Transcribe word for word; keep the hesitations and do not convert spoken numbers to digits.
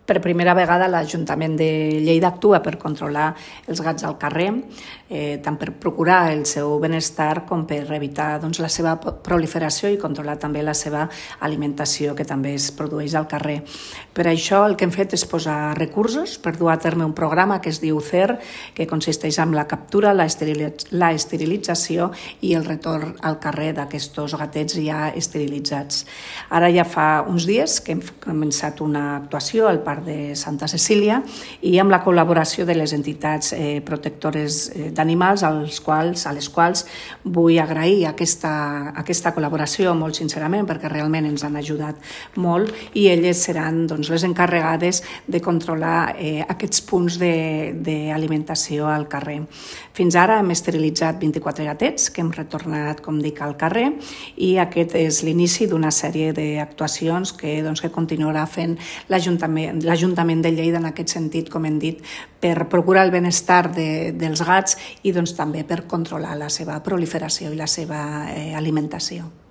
Per primera vegada l'Ajuntament de Lleida actua per controlar els gats al carrer, eh, tant per procurar el seu benestar com per evitar doncs, la seva proliferació i controlar també la seva alimentació, que també es produeix al carrer. Per això el que hem fet és posar recursos per dur a terme un programa que es diu C E R, que consisteix en la captura, la esterilització i el retorn al carrer d'aquests gatets ja esterilitzats. Ara ja fa uns dies que hem començat una actuació al Parc de Santa Cecília i amb la col·laboració de les entitats eh, protectores d'animals als quals, a les quals vull agrair aquesta, aquesta col·laboració molt sincerament, perquè realment ens han ajudat molt i elles seran doncs, les encarregades de controlar eh, aquests punts d'alimentació al carrer. Fins ara hem esterilitzat vint-i-quatre gatets que hem retornat, com dic, al carrer i aquest és l'inici d'una sèrie d'actuacions que, doncs, que continuarà fent l'Ajuntament l'Ajuntament de Lleida en aquest sentit, com hem dit, per procurar el benestar de, dels gats i doncs, també per controlar la seva proliferació i la seva eh, alimentació.